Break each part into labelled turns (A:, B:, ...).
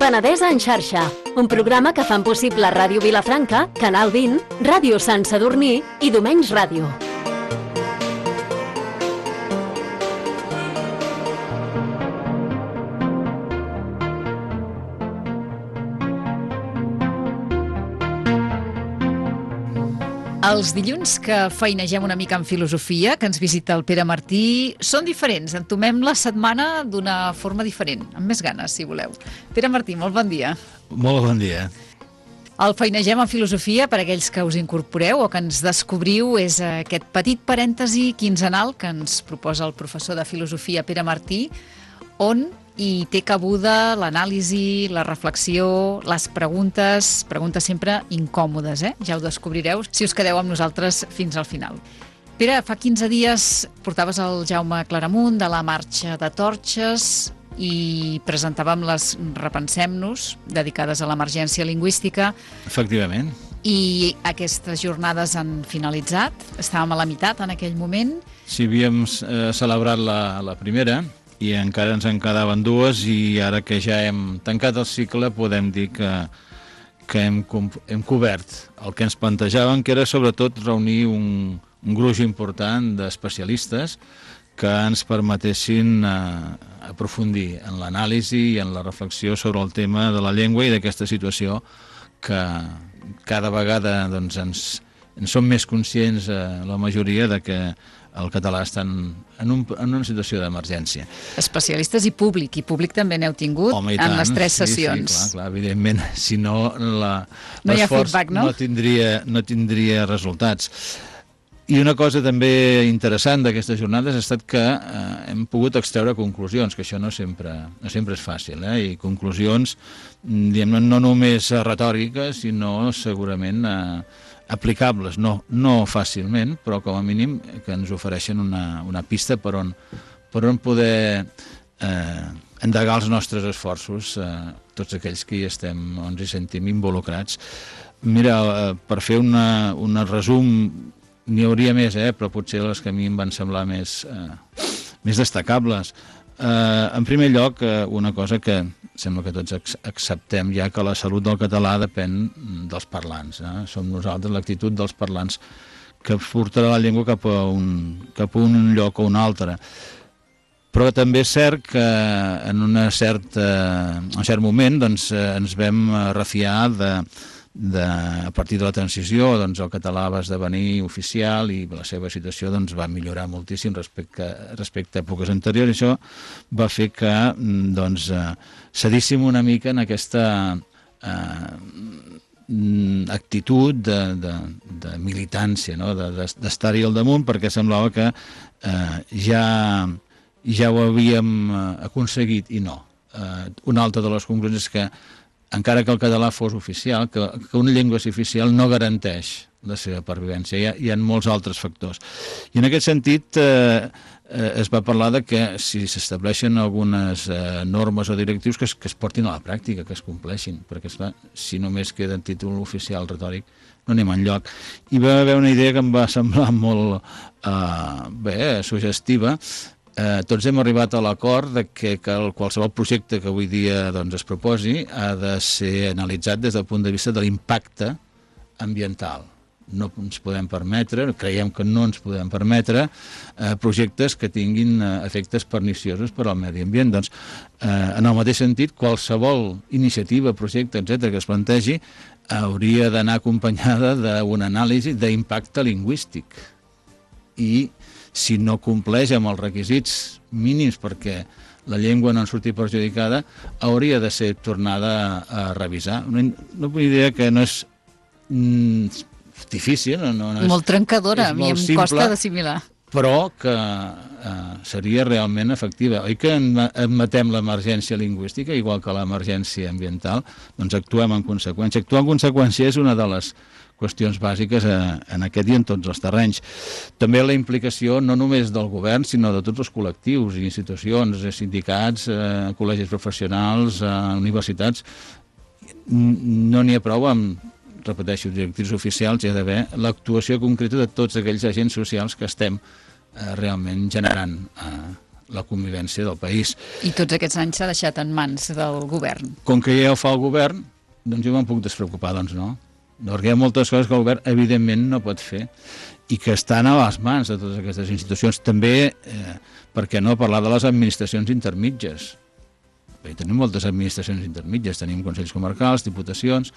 A: Penedesa en xarxa, un programa que fan possible Ràdio Vilafranca, Canal 20, Ràdio Sant Sadurní i Domenys Ràdio.
B: Els dilluns que feinegem una mica en filosofia, que ens visita el Pere Martí, són diferents. Entomem la setmana d'una forma diferent, amb més ganes, si voleu. Pere Martí, molt bon dia.
C: Molt bon dia.
B: El feinegem en filosofia, per aquells que us incorporeu o que ens descobriu, és aquest petit parèntesi quinzenal que ens proposa el professor de filosofia Pere Martí, on hi té cabuda l'anàlisi, la reflexió, les preguntes sempre incòmodes, Ja ho descobrireu si us quedeu amb nosaltres fins al final. Pere, fa 15 dies portaves el Jaume Claramunt de la Marxa de Torxes i presentàvem les Repensem-nos, dedicades a l'emergència lingüística.
C: Efectivament.
B: I aquestes jornades han finalitzat, estàvem a la meitat en aquell moment.
C: Sí, havíem celebrat la primera, i encara ens en quedaven dues, i ara que ja hem tancat el cicle podem dir que hem cobert el que ens plantejàvem, que era sobretot reunir un gruix important d'especialistes que ens permetessin aprofundir en l'anàlisi i en la reflexió sobre el tema de la llengua i d'aquesta situació que cada vegada doncs, en som més conscients la majoria de que el català està en una situació d'emergència.
B: Especialistes i públic també n'heu tingut.
C: Home,
B: en les 3 sessions.
C: Sí, clar, evidentment, si no
B: no hi ha feedback, no?
C: No tindria resultats. I una cosa també interessant d'aquestes jornades ha estat que hem pogut extreure conclusions, que això no sempre és fàcil, i conclusions, diguem, no només retòriques, sinó segurament aplicables, no fàcilment, però com a mínim que ens ofereixen una pista per on poder endegar els nostres esforços, tots aquells que hi estem o ens hi sentim involucrats. Mira, per fer un resum, n'hi hauria més, però potser les que a mi em van semblar més destacables. En primer lloc, una cosa que sembla que tots acceptem ja, que la salut del català depèn dels parlants. Som nosaltres, l'actitud dels parlants, que portarà la llengua cap a un lloc o un altre. Però també és cert que en un cert moment doncs, ens vam refiar a partir de la transició, doncs, el català va esdevenir oficial i la seva situació doncs, va millorar moltíssim respecte a èpoques anteriors, i això va fer que doncs, cedíssim una mica en aquesta actitud de militància, no? D'estar-hi al damunt, perquè semblava que ja ho havíem aconseguit, i no. Una altra de les conclusions és que encara que el català fos oficial, que una llengua és oficial no garanteix la seva pervivència. Hi ha molts altres factors. I en aquest sentit es va parlar de que si s'estableixen algunes normes o directius que es portin a la pràctica, que es compleixin, perquè si només queda en títol oficial retòric no anem enlloc. I va haver una idea que em va semblar molt suggestiva. Tots hem arribat a l'acord de que qualsevol projecte que avui dia doncs, es proposi ha de ser analitzat des del punt de vista de l'impacte ambiental. No ens podem permetre, creiem que no ens podem permetre projectes que tinguin efectes perniciosos per al medi ambient. Doncs, en el mateix sentit, qualsevol iniciativa, projecte, etc., que es plantegi hauria d'anar acompanyada d'una anàlisi d'impacte lingüístic. I si no compleix amb els requisits mínims perquè la llengua no en surti perjudicada, hauria de ser tornada a revisar. Una idea que no és difícil. No és,
B: molt trencadora, a mi em
C: simple,
B: costa d'assimilar.
C: Però que seria realment efectiva. Oi que admetem l'emergència lingüística, igual que l'emergència ambiental, doncs actuem en conseqüència. Actuar en conseqüència és una de les qüestions bàsiques en aquest i en tots els terrenys. També la implicació no només del govern, sinó de tots els col·lectius i institucions, sindicats, col·legis professionals, universitats. No n'hi ha prou amb, repeteixo, directrius oficials, hi ha d'haver l'actuació concreta de tots aquells agents socials que estem realment generant la convivència del país.
B: I tots aquests anys s'ha deixat en mans del govern.
C: Com que ja ho fa el govern, doncs jo me'n puc despreocupar, doncs no. Perquè hi ha moltes coses que el govern evidentment no pot fer i que estan a les mans de totes aquestes institucions. També, per què no, parlar de les administracions intermitges. Perquè tenim moltes administracions intermitges, tenim consells comarcals, diputacions,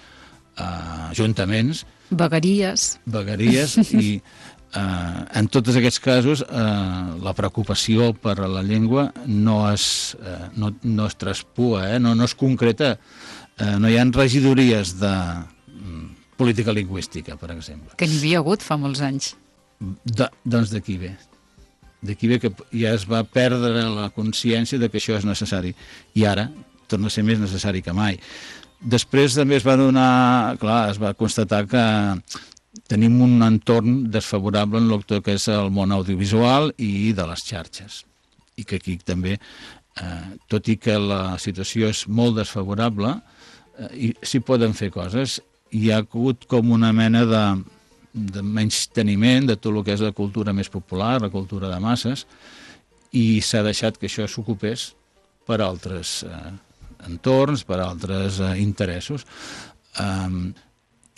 C: ajuntaments...
B: Vegueries
C: i en tots aquests casos la preocupació per la llengua no es traspua, no es concreta, no hi ha regidories de política lingüística, per exemple.
B: Que n'hi havia hagut fa molts anys.
C: Doncs d'aquí ve. D'aquí ve que ja es va perdre la consciència de que això és necessari i ara torna a ser més necessari que mai. Després també es va constatar que tenim un entorn desfavorable en el que és el món audiovisual i de les xarxes. I que aquí també, tot i que la situació és molt desfavorable, s'hi poden fer coses. Hi ha hagut com una mena de menysteniment de tot el que és la cultura més popular, la cultura de masses, i s'ha deixat que això s'ocupés per altres entorns, per altres interessos.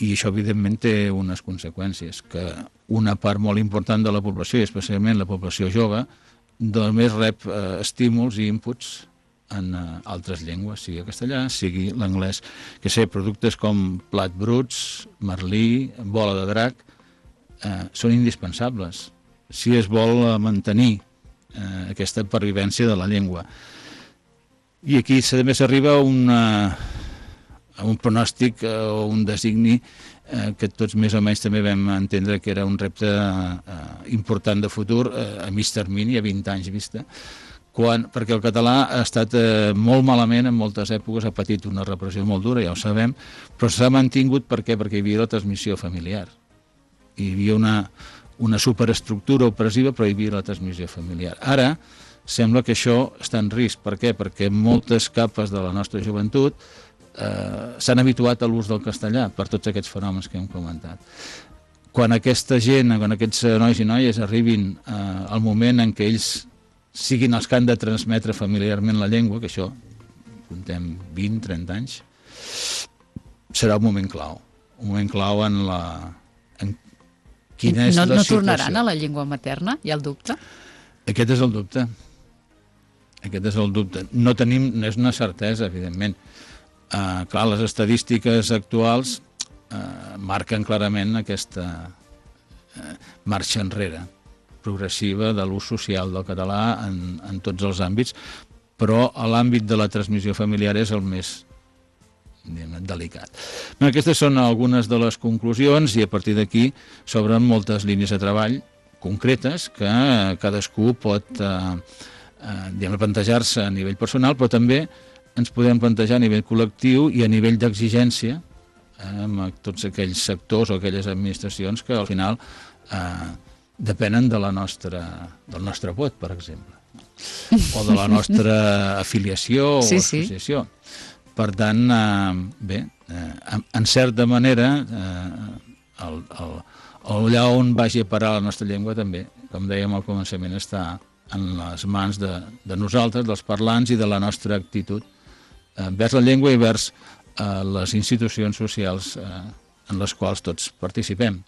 C: I això, evidentment, té unes conseqüències, que una part molt important de la població, i especialment la població jove, només rep estímuls i inputs en altres llengües, sigui el castellà, sigui l'anglès. Que sé, productes com plat bruts, merlí, bola de drac, són indispensables si es vol mantenir aquesta pervivència de la llengua. I aquí també s'arriba a un pronòstic o un designi que tots més o menys també vam entendre que era un repte important de futur a mig termini, a 20 anys vista, perquè el català ha estat molt malament en moltes èpoques, ha patit una repressió molt dura, ja ho sabem, però s'ha mantingut per què? Perquè hi havia la transmissió familiar. Hi havia una superestructura opressiva, però hi havia la transmissió familiar. Ara sembla que això està en risc. Per què? Perquè moltes capes de la nostra joventut s'han habituat a l'ús del castellà per tots aquests fenòmens que hem comentat. Quan aquesta gent, quan aquests nois i noies arribin al moment en què ells siguin els que han de transmetre familiarment la llengua, que això, contem 20-30 anys, serà un moment clau en quina és la situació.
B: No tornaran a la llengua materna? Hi ha el dubte?
C: Aquest és el dubte. No tenim, no és una certesa, evidentment. Clar, les estadístiques actuals marquen clarament aquesta marxa enrere progressiva de l'ús social del català en tots els àmbits, però l'àmbit de la transmissió familiar és el més delicat. Aquestes són algunes de les conclusions i a partir d'aquí s'obren moltes línies de treball concretes que cadascú pot plantejar-se a nivell personal, però també ens podem plantejar a nivell col·lectiu i a nivell d'exigència amb tots aquells sectors o aquelles administracions que al final depenen del nostre vot, per exemple, o de la nostra afiliació o associació. Per tant, en certa manera, allà on vagi a parar la nostra llengua també, com dèiem al començament, està en les mans de nosaltres, dels parlants i de la nostra actitud vers la llengua i vers les institucions socials en les quals tots participem.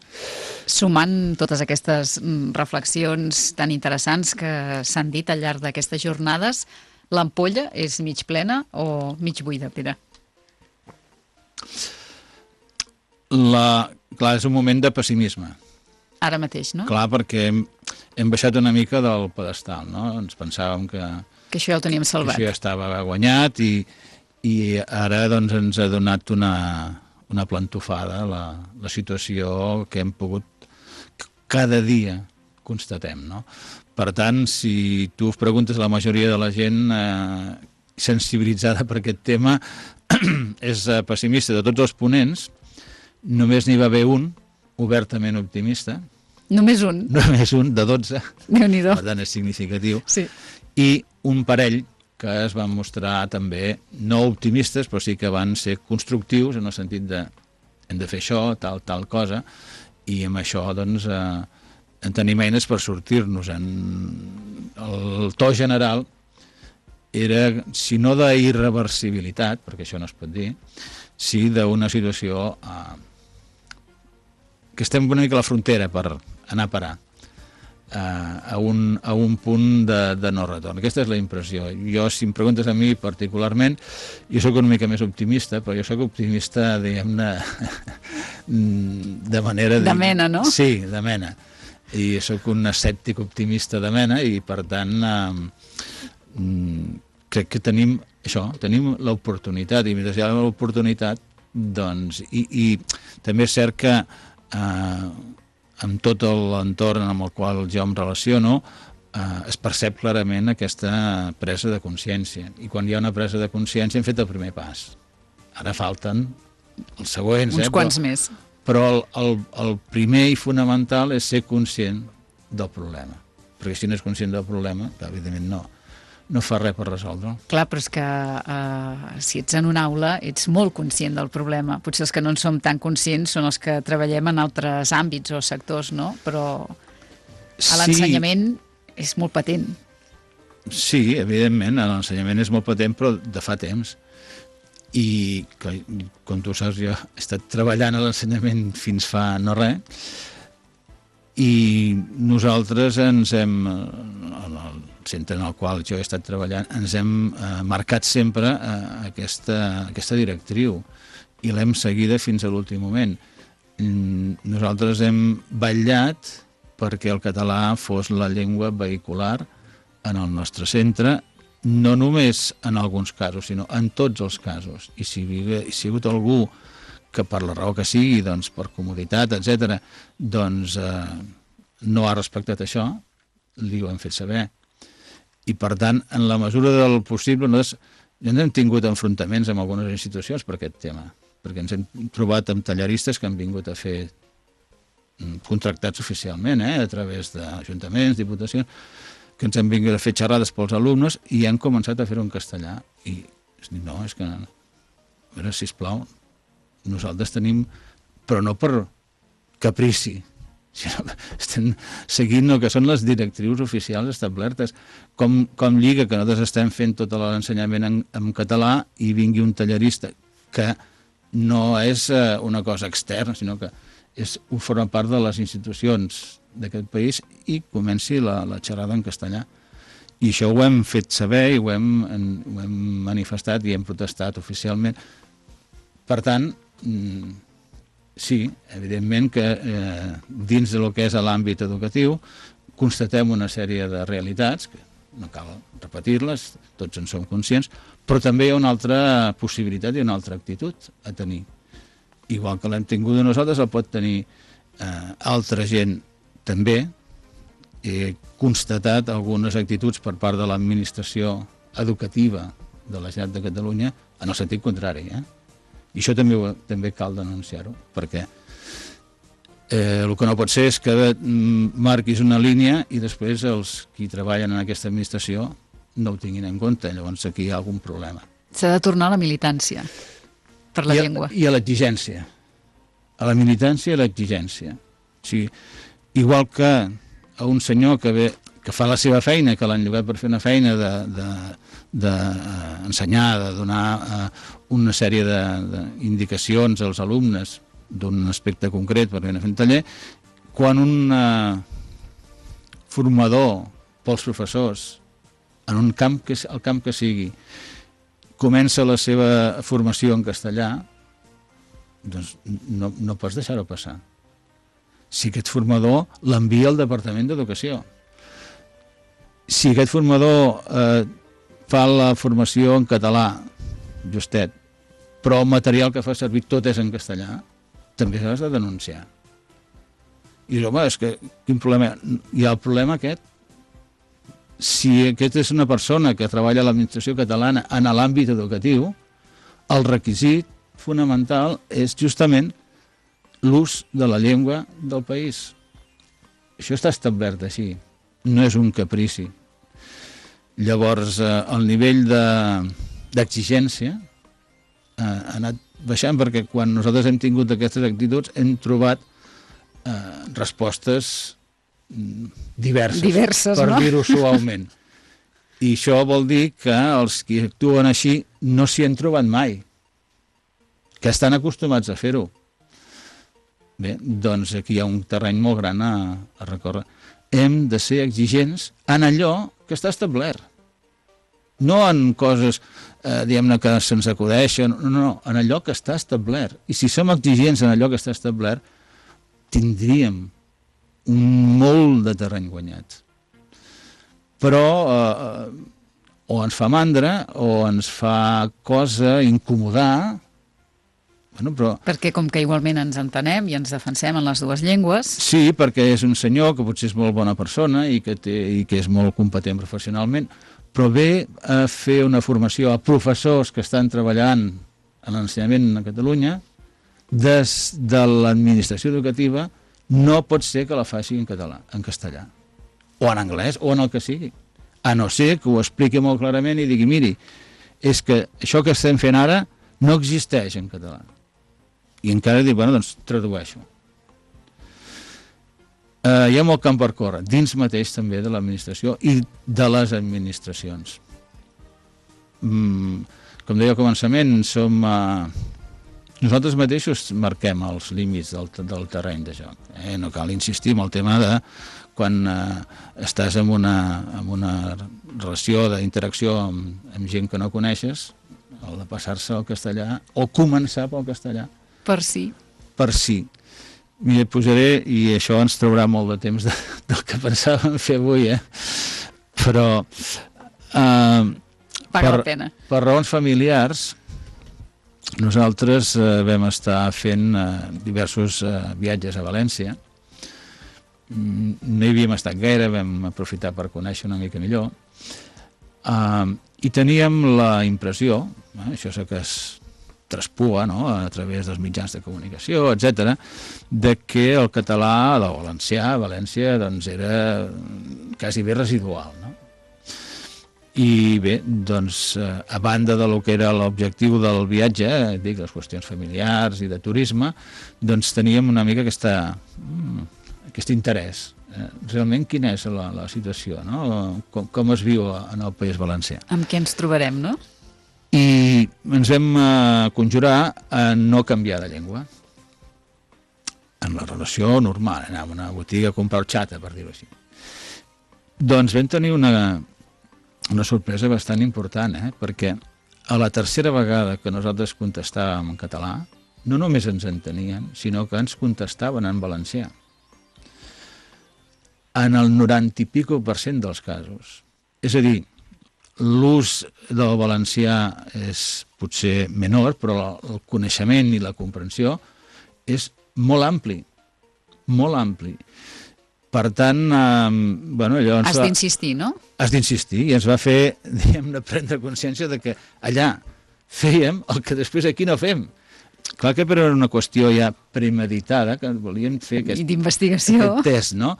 B: Sumant totes aquestes reflexions tan interessants que s'han dit al llarg d'aquestes jornades, l'ampolla és mig plena o mig buida, Pere?
C: Clar, és un moment de pessimisme.
B: Ara mateix, no?
C: Clar, perquè hem baixat una mica del pedestal, no? Ens pensàvem que
B: això ja ho teníem salvat.
C: Que això ja estava guanyat i ara doncs, ens ha donat una plantofada la situació que hem pogut cada dia constatem, no? Per tant, si tu preguntes a la majoria de la gent sensibilitzada per aquest tema és pessimista. De tots els ponents, només n'hi va haver un obertament optimista.
B: Només un?
C: Només un, de 12.
B: Déu-n'hi-do.
C: Per tant, és significatiu.
B: Sí.
C: I un parell que es van mostrar també no optimistes, però sí que van ser constructius en el sentit de hem de fer això, tal cosa, i amb això doncs tenim eines per sortir-nos en el to general era, si no d'irreversibilitat, perquè això no es pot dir, sí d'una situació que estem una mica a la frontera per anar a parar a un punt de no retorn. Aquesta és la impressió. Jo, si em preguntes a mi particularment, jo sóc una mica més optimista, però jo sóc optimista, diguem-ne, de manera...
B: De mena, no?
C: Sí, de mena. I sóc un escèptic optimista de mena i, per tant, crec que tenim això, tenim l'oportunitat, i mentre hi ha l'oportunitat, doncs, i també és cert que amb tot l'entorn amb el qual jo em relaciono es percep clarament aquesta presa de consciència, i quan hi ha una presa de consciència hem fet el primer pas. Ara falten els següents.
B: Uns quants més.
C: Però el primer i fonamental és ser conscient del problema, perquè si no és conscient del problema, evidentment no fa res per resoldre'l.
B: Clar, però és que si ets en una aula ets molt conscient del problema. Potser els que no en som tan conscients són els que treballem en altres àmbits o sectors, no? Però a l'ensenyament és molt patent.
C: Sí, evidentment, l'ensenyament és molt patent, però de fa temps. I, com tu saps, jo he estat treballant a l'ensenyament fins fa no res, i nosaltres ens hem, en el centre en el qual jo he estat treballant, ens hem marcat sempre aquesta directriu, i l'hem seguida fins a l'últim moment. Nosaltres hem vetllat perquè el català fos la llengua vehicular en el nostre centre, no només en alguns casos, sinó en tots els casos. I si hi ha hagut algú que per la raó que sigui, doncs per comoditat, etc., doncs no ha respectat això, li ho hem fet saber. I per tant, en la mesura del possible, nosaltres hem tingut enfrontaments amb algunes institucions per aquest tema, perquè ens hem trobat amb tallaristes que han vingut a fer contractats oficialment, a través d'ajuntaments, diputacions, que ens han vingut a fer xerrades pels alumnes i han començat a fer-ho en castellà. I no, és que, a veure, sisplau, nosaltres tenim, però no per caprici, sinó que estem seguint el que són les directrius oficials establertes. Com lliga que nosaltres estem fent tot l'ensenyament en català i vingui un tallerista que no és una cosa externa, sinó que forma part de les institucions d'aquest país i comenci la xerrada en castellà. I això ho hem fet saber i ho hem manifestat i hem protestat oficialment. Per tant, sí, evidentment que dins del que és l'àmbit educatiu constatem una sèrie de realitats, que no cal repetir-les, tots en som conscients, però també hi ha una altra possibilitat i una altra actitud a tenir. Igual que l'hem tingut nosaltres, el pot tenir altra gent també. He constatat algunes actituds per part de l'administració educativa de la Generalitat de Catalunya en el sentit contrari. I això també cal denunciar-ho, perquè el que no pot ser és que marquis una línia i després els qui treballen en aquesta administració no ho tinguin en compte. Llavors aquí hi ha algun problema.
B: S'ha de tornar a la militància per la llengua.
C: I a l'exigència. A la militància i a l'exigència. O sigui, igual que a un senyor que fa la seva feina, que l'han llogat per fer una feina d'ensenyar, de donar una sèrie d'indicacions als alumnes d'un aspecte concret per anar fent taller, quan un formador pels professors en un camp el camp que sigui comença la seva formació en castellà, doncs no pots deixar-ho passar. Si aquest formador l'envia al Departament d'Educació, si aquest formador fa la formació en català, justet, però el material que fa servir tot és en castellà, també s'ha de denunciar. I dius, home, és que quin problema? Hi ha el problema aquest. Si aquest és una persona que treballa a l'administració catalana en l'àmbit educatiu, el requisit fonamental és justament l'ús de la llengua del país. Això està establert així, no és un caprici. Llavors, el nivell d'exigència ha anat baixant perquè quan nosaltres hem tingut aquestes actituds hem trobat respostes
B: diverses,
C: per
B: no?
C: dir-ho suaument. I això vol dir que els que actuen així no s'hi han trobat mai, que estan acostumats a fer-ho. Bé, doncs aquí hi ha un terreny molt gran a recórrer. Hem de ser exigents en allò que està establert. No en coses, diguem-ne, que se'ns acudeixen, no, en allò que està establert. I si som exigents en allò que està establert, tindríem un molt de terreny guanyat. Però o ens fa mandra o ens fa cosa incomodar. Bueno, però...
B: Perquè com que igualment ens entenem i ens defensem en les dues llengües...
C: Sí, perquè és un senyor que potser és molt bona persona i que és molt competent professionalment, però ve a fer una formació a professors que estan treballant en l'ensenyament a Catalunya, des de l'administració educativa, no pot ser que la faci en català, en castellà, o en anglès, o en el que sigui. A no ser que ho expliqui molt clarament i digui, miri, és que això que estem fent ara no existeix en català. I encara dic, bueno, doncs tradueixo. Hi ha molt camp per córrer, dins mateix també de l'administració i de les administracions. Com deia al començament, nosaltres mateixos marquem els límits del terreny de joc. No cal insistir en el tema de quan estàs en una relació d'interacció amb gent que no coneixes, el de passar-se al castellà o començar pel castellà.
B: Per sí.
C: Per sí. Mira, posaré, i això ens traurà molt de temps del que pensàvem fer avui, però
B: paga la pena.
C: Per raons familiars, nosaltres vam estar fent diversos viatges a València. No hi havíem estat gaire, vam aprofitar per conèixer una mica millor, i teníem la impressió, això sé que es traspua, no?, a través dels mitjans de comunicació, etc., de que el català del valencià a València doncs, era quasi bé residual, no? I bé, doncs, a banda de lo que era l'objectiu del viatge, dic, les qüestions familiars i de turisme, doncs teníem una mica aquest interès. Realment, quina és la situació, no? Com es viu en el País Valencià?
B: Amb què ens trobarem, no?
C: I ens vam conjurar a no canviar de llengua. En la relació normal, anar a una botiga a comprar horchata, per dir-ho així. Doncs vam tenir una sorpresa bastant important, perquè a la tercera vegada que nosaltres contestàvem en català, no només ens entenien, sinó que ens contestaven en valencià. En el 90 i pico % dels casos. És a dir, l'ús del valencià és potser menor, però el coneixement i la comprensió és molt ampli, molt ampli. Per tant, bueno, allò
B: has d'insistir, no?
C: Has d'insistir, i ens va fer, diguem-ne, prendre consciència de que allà fèiem el que després aquí no fem. Clar que era una qüestió ja premeditada, que volíem fer
B: d'investigació,
C: aquest test, no?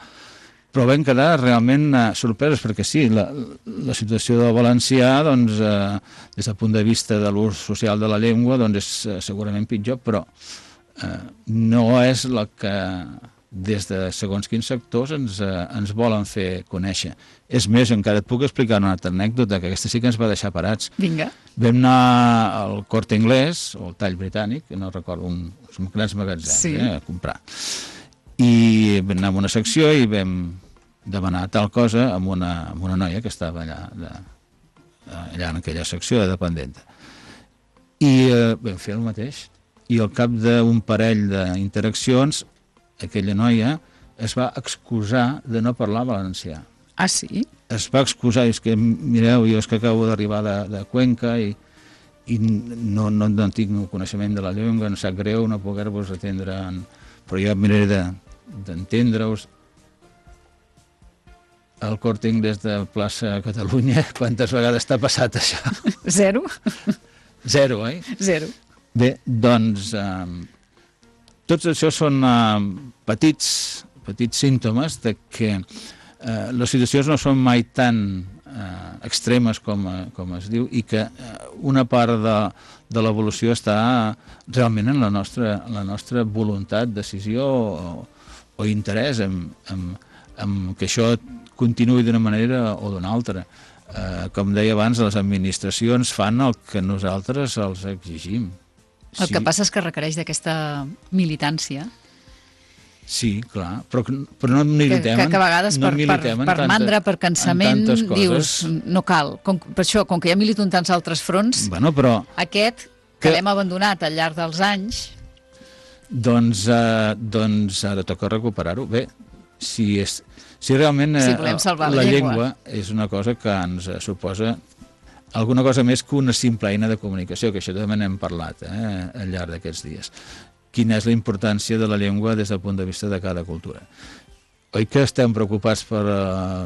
C: Però vam quedar realment sorpresos, perquè sí, la situació del valencià, doncs, des del punt de vista de l'ús social de la llengua, doncs és segurament pitjor, però no és la que des de segons quins sectors ens volen fer conèixer. És més, encara et puc explicar una altra anècdota, que aquesta sí que ens va deixar parats.
B: Vinga.
C: Vam anar al Corte Inglés, o al Tall Britànic, que no recordo, uns grans magatzems,
B: sí,
C: a comprar. I vam anar a una secció i vam demanar tal cosa amb una noia que estava allà en aquella secció de dependenta. I vam fer el mateix. I al cap d'un parell d'interaccions, aquella noia es va excusar de no parlar valencià.
B: Ah, sí?
C: Es va excusar, és que, mireu, jo és que acabo d'arribar de Cuenca i no tinc coneixement de la llengua, em sap greu no poder-vos atendre, però jo miraré d'entendre-us. El Corte Inglés de plaça Catalunya, quantes vegades t'ha passat això?
B: 0.
C: 0, oi?
B: 0.
C: Bé, doncs, tots això són petits símptomes de que les situacions no són mai tan extremes com es diu, i que una part de l'evolució està realment en la nostra voluntat, decisió o interès en que això continuï d'una manera o d'una altra. Com deia abans, les administracions fan el que nosaltres els exigim.
B: El que passa és que requereix d'aquesta militància.
C: Sí, clar, però no militem.
B: Que a vegades per mandra, per cansament, dius, no cal. Per això, com que ja milito en tants altres fronts, aquest, que l'hem abandonat al llarg dels anys...
C: Doncs ara toca recuperar-ho. Bé, si realment la llengua és una cosa que ens suposa alguna cosa més que una simple eina de comunicació, que això també n'hem parlat al llarg d'aquests dies. Quina és la importància de la llengua des del punt de vista de cada cultura. Oi que estem preocupats per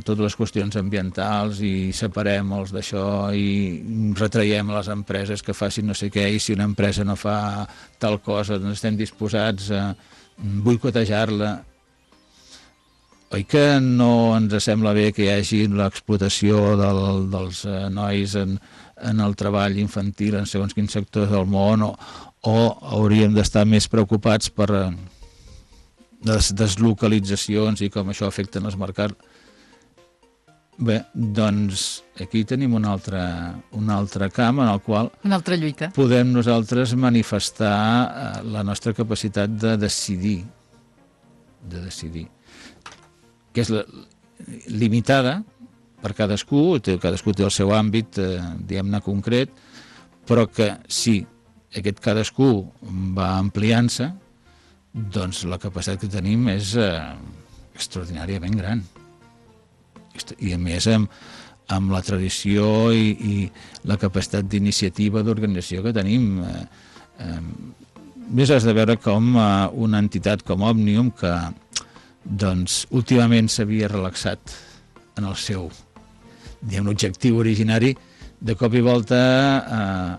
C: totes les qüestions ambientals i separem els d'això i retraiem a les empreses que facin no sé què, i si una empresa no fa tal cosa doncs estem disposats a boicotejar-la? Oi que no ens sembla bé que hi hagi l'explotació dels nois en el treball infantil en segons quins sectors del món, o hauríem d'estar més preocupats per les deslocalitzacions i com això afecten els mercats? Bé, doncs aquí tenim un altre camp en el qual
B: una altra lluita.
C: Podem nosaltres manifestar la nostra capacitat de decidir, que és limitada per cadascú té el seu àmbit, diguem-ne, concret, però que si aquest cadascú va ampliant-se, doncs la capacitat que tenim és extraordinàriament gran. I a més amb la tradició i la capacitat d'iniciativa d'organització que tenim. Més has de veure com una entitat com Òmnium, que doncs últimament s'havia relaxat en el seu objectiu originari, de cop i volta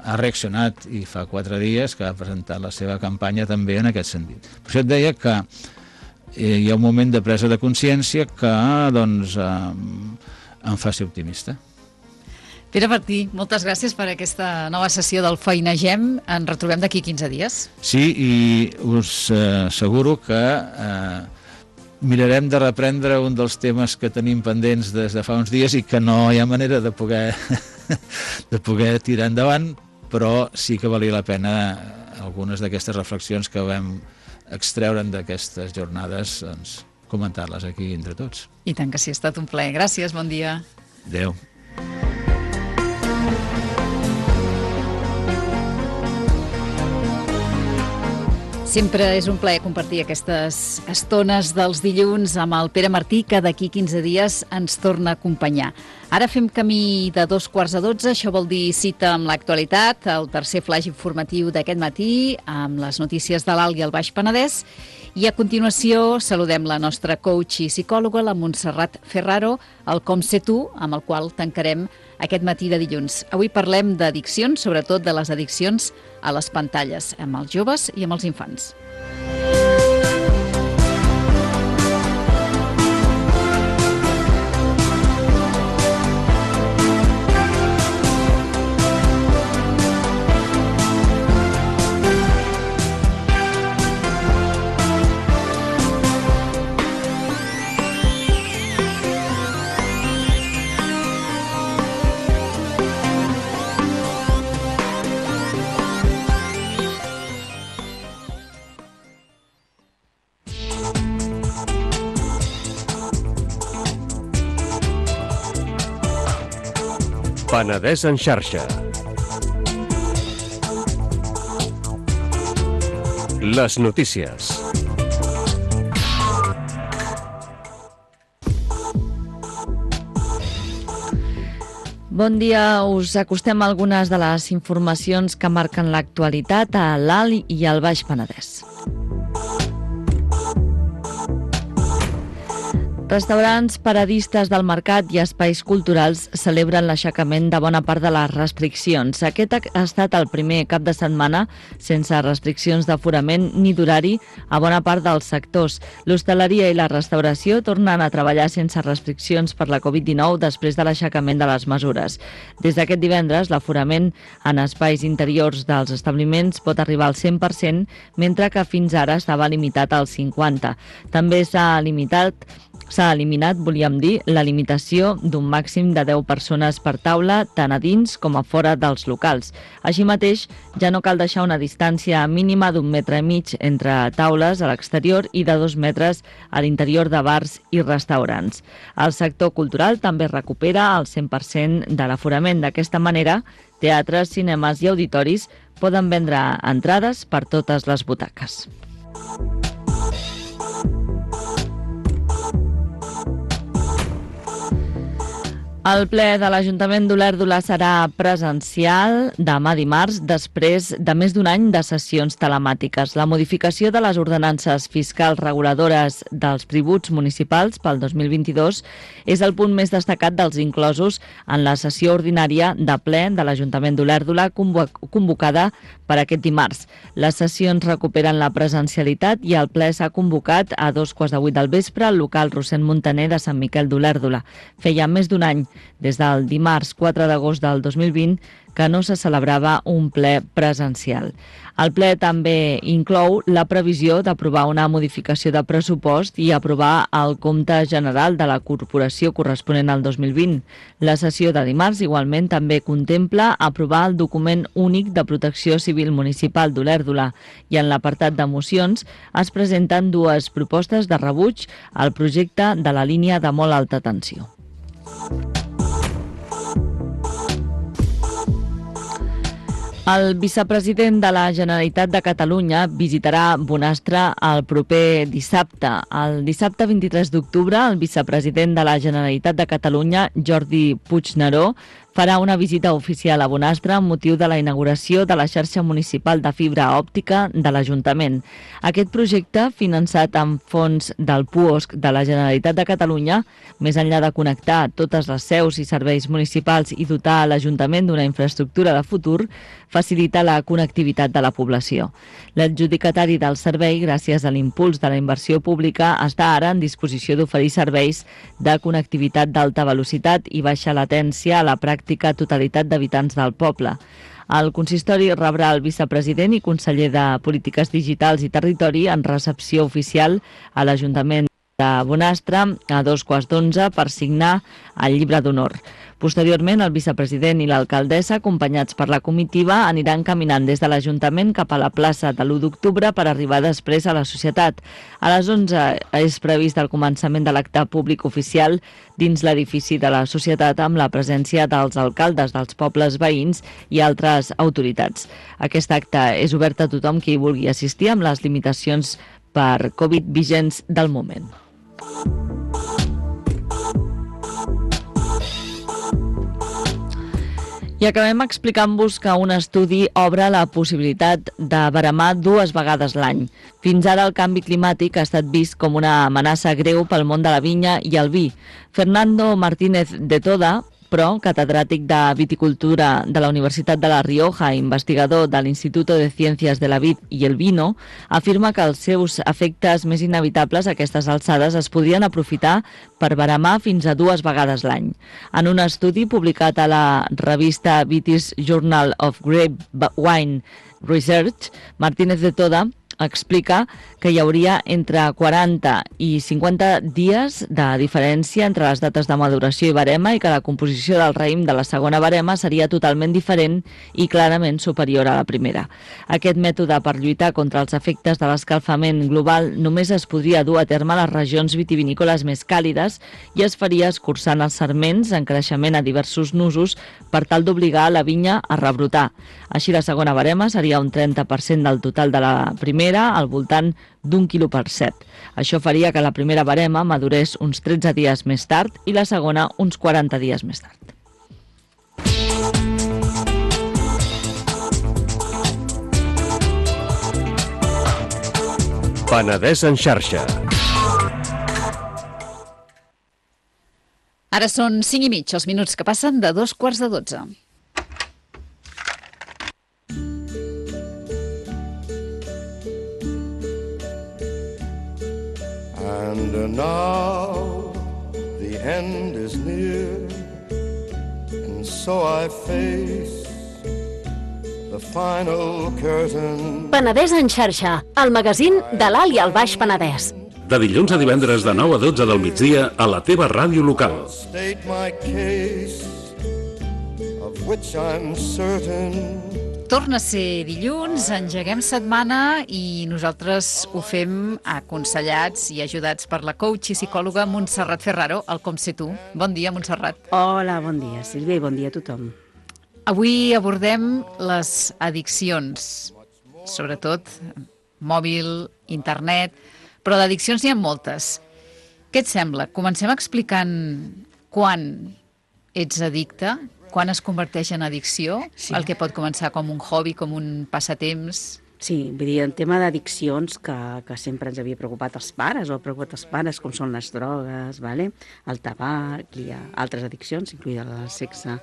C: ha reaccionat, i fa 4 dies que ha presentat la seva campanya també en aquest sentit. Per això et deia que hi ha un moment de presa de consciència que doncs em fa ser optimista.
B: Pere Martí, moltes gràcies per aquesta nova sessió del Feinegem. Ens retrobem d'aquí 15 dies.
C: Sí, i us asseguro que mirarem de reprendre un dels temes que tenim pendents des de fa uns dies i que no hi ha manera de poder tirar endavant, però sí que valia la pena algunes d'aquestes reflexions que vam extreure'n d'aquestes jornades, doncs, comentar-les aquí entre tots.
B: I tant que sí, ha estat un plaer. Gràcies, bon dia.
C: Adéu.
B: Sempre és un plaer compartir aquestes estones dels dilluns amb el Pere Martí, que d'aquí 15 dies ens torna a acompanyar. Ara fem camí de 11:45, això vol dir cita amb l'actualitat, el tercer flaix informatiu d'aquest matí, amb les notícies de l'Alt i el Baix Penedès, i a continuació saludem la nostra coach i psicòloga, la Montserrat Ferraro, el Com sé tu, amb el qual tancarem aquest matí de dilluns. Avui parlem d'addiccions, sobretot de les addiccions a les pantalles, amb els joves i amb els infants.
D: Penedès en xarxa. Les notícies.
E: Bon dia, us acostem a algunes de les informacions que marquen l'actualitat a l'Alt i al Baix Penedès. Restaurants, paradistes del mercat i espais culturals celebren l'aixecament de bona part de les restriccions. Aquest ha estat el primer cap de setmana sense restriccions d'aforament ni d'horari a bona part dels sectors. L'hostaleria i la restauració tornen a treballar sense restriccions per la Covid-19 després de l'aixecament de les mesures. Des d'aquest divendres, l'aforament en espais interiors dels establiments pot arribar al 100%, mentre que fins ara estava limitat al 50%. També s'ha s'ha eliminat, volíem dir, la limitació d'un màxim de 10 persones per taula, tant a dins com a fora dels locals. Així mateix, ja no cal deixar una distància mínima d'1,5 metres entre taules a l'exterior i de 2 metres a l'interior de bars i restaurants. El sector cultural també recupera el 100% de l'aforament. D'aquesta manera, teatres, cinemes i auditoris poden vendre entrades per totes les butaques. El ple de l'Ajuntament d'Olèrdola serà presencial demà dimarts, després de més d'un any de sessions telemàtiques. La modificació de les ordenances fiscals reguladores dels tributs municipals pel 2022 és el punt més destacat dels inclosos en la sessió ordinària de ple de l'Ajuntament d'Olèrdola convocada per aquest dimarts. Les sessions recuperen la presencialitat i el ple s'ha convocat a 2:15 del vespre al local Rossend Montaner de Sant Miquel d'Olèrdola. Feia més d'un any, des del dimarts 4 d'agost del 2020, que no se celebrava un ple presencial. El ple també inclou la previsió d'aprovar una modificació de pressupost i aprovar el compte general de la corporació corresponent al 2020. La sessió de dimarts igualment també contempla aprovar el document únic de protecció civil municipal d'Olèrdola i en l'apartat de mocions es presenten dues propostes de rebuig al projecte de la línia de molt alta tensió. El vicepresident de la Generalitat de Catalunya visitarà Bonastre el proper dissabte. El dissabte 23 d'octubre, el vicepresident de la Generalitat de Catalunya, Jordi Puigneró, farà una visita oficial a Bonastre amb motiu de la inauguració de la xarxa municipal de fibra òptica de l'Ajuntament. Aquest projecte, finançat amb fons del PUOSC de la Generalitat de Catalunya, més enllà de connectar totes les seus i serveis municipals i dotar l'Ajuntament d'una infraestructura de futur, facilita la connectivitat de la població. L'adjudicatari del servei, gràcies a l'impuls de la inversió pública, està ara en disposició d'oferir serveis de connectivitat d'alta velocitat i baixa latència a la pràctica totalitat d'habitants del poble. El consistori rebrà el vicepresident i conseller de Polítiques Digitals i Territori en recepció oficial a l'Ajuntament de Bonastre a 2:15 per signar el llibre d'honor. Posteriorment, el vicepresident i l'alcaldessa, acompanyats per la comitiva, aniran caminant des de l'Ajuntament cap a la plaça de l'1 d'octubre per arribar després a la Societat. A les 11 és previst el començament de l'acte públic oficial dins l'edifici de la Societat amb la presència dels alcaldes dels pobles veïns i altres autoritats. Aquest acte és obert a tothom qui hi vulgui assistir amb les limitacions per Covid vigents del moment. I acabem explicant-vos que un estudi obre la possibilitat de veremar 2 vegades l'any. Fins ara el canvi climàtic ha estat vist com una amenaça greu pel món de la vinya i el vi. Fernando Martínez de Toda, però catedràtic de viticultura de la Universitat de La Rioja, investigador de l'Instituto de Ciencias de la Vid y el Vino, afirma que els seus efectes més inevitables a aquestes alçades es podrien aprofitar per veremar fins a 2 vegades l'any. En un estudi publicat a la revista British Journal of Grape Wine Research, Martínez de Toda explica que hi hauria entre 40 i 50 dies de diferència entre les dates de maduració i verema i que la composició del raïm de la segona verema seria totalment diferent i clarament superior a la primera. Aquest mètode per lluitar contra els efectes de l'escalfament global només es podria dur a terme a les regions vitivinícoles més càlides i es faria escurçant els sarments en creixement a diversos nusos per tal d'obligar la vinya a rebrotar. Així la segona verema seria un 30% del total de la primera, al voltant d'1 quilo per set. Això faria que la primera verema madurés uns 13 dies més tard i la segona uns 40 dies més tard.
D: Penedès en xarxa.
B: Ara són 5:30, els minuts que passen de 2:15.
F: And now the end is near, and so I face the final curtain.
A: Penedès en xarxa, el magazín de l'Alt i el Baix Penedès.
G: de dilluns a divendres de 9 a 12 del migdia a la teva ràdio local.
F: State my case, of which I'm certain.
B: Torna a ser dilluns, engeguem setmana i nosaltres ho fem aconsellats i ajudats per la coach i psicòloga Montserrat Ferraro, el Com Sé Tu. Bon dia, Montserrat.
H: Hola, bon dia, Sílvia, i bon dia a tothom.
B: Avui abordem les addiccions, sobretot mòbil, internet, però d'addiccions n'hi ha moltes. Què et sembla? Comencem explicant quan ets addicte, quan es converteix en addicció, sí. El que pot començar com un hobby, com un passatemps.
H: Sí, vull dir, en tema d'addiccions que sempre ens havia preocupat els pares, o ha preocupat els pares, com són les drogues, vale? El tabac, hi ha altres addiccions, incloïda el sexe,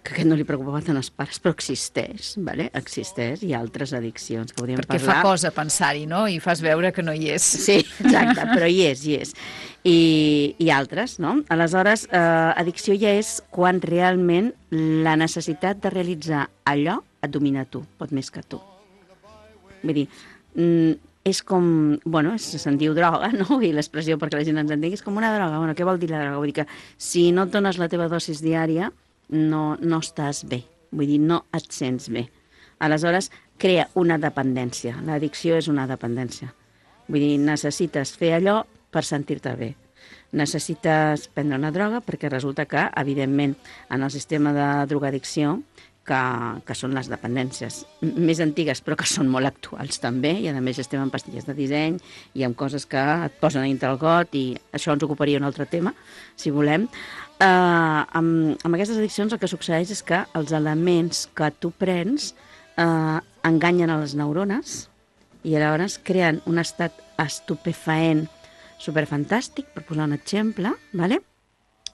H: que aquest no li preocupava tant als pares, però existeix, vale? Existeix, hi ha altres addiccions que podríem
B: parlar.
H: Perquè
B: fa cosa pensar-hi, no? I fas veure que no hi és.
H: Sí, exacte, però hi és. I altres, no? Aleshores, addicció ja és quan realment la necessitat de realitzar allò et domina tu, pot més que tu. Vull dir, és com, bueno, se'n diu droga, no? I l'expressió perquè la gent ens entengui és com una droga. Bueno, què vol dir la droga? Vull dir que si no et dones la teva dosis diària, no estàs bé. Vull dir, no et sents bé. Aleshores, crea una dependència. L'addicció és una dependència. Vull dir, necessites fer allò per sentir-te bé. Necessites prendre una droga perquè resulta que, evidentment, en el sistema de drogadicció, que són les dependències més antigues, però que són molt actuals també, i a més estem en pastilles de disseny i amb coses que et posen a dintre el got, i això ens ocuparia un altre tema, si volem. Amb aquestes addiccions el que succeeix és que els elements que tu prens enganyen a les neurones i llavors creen un estat estupefaent superfantàstic, per posar un exemple, ¿vale?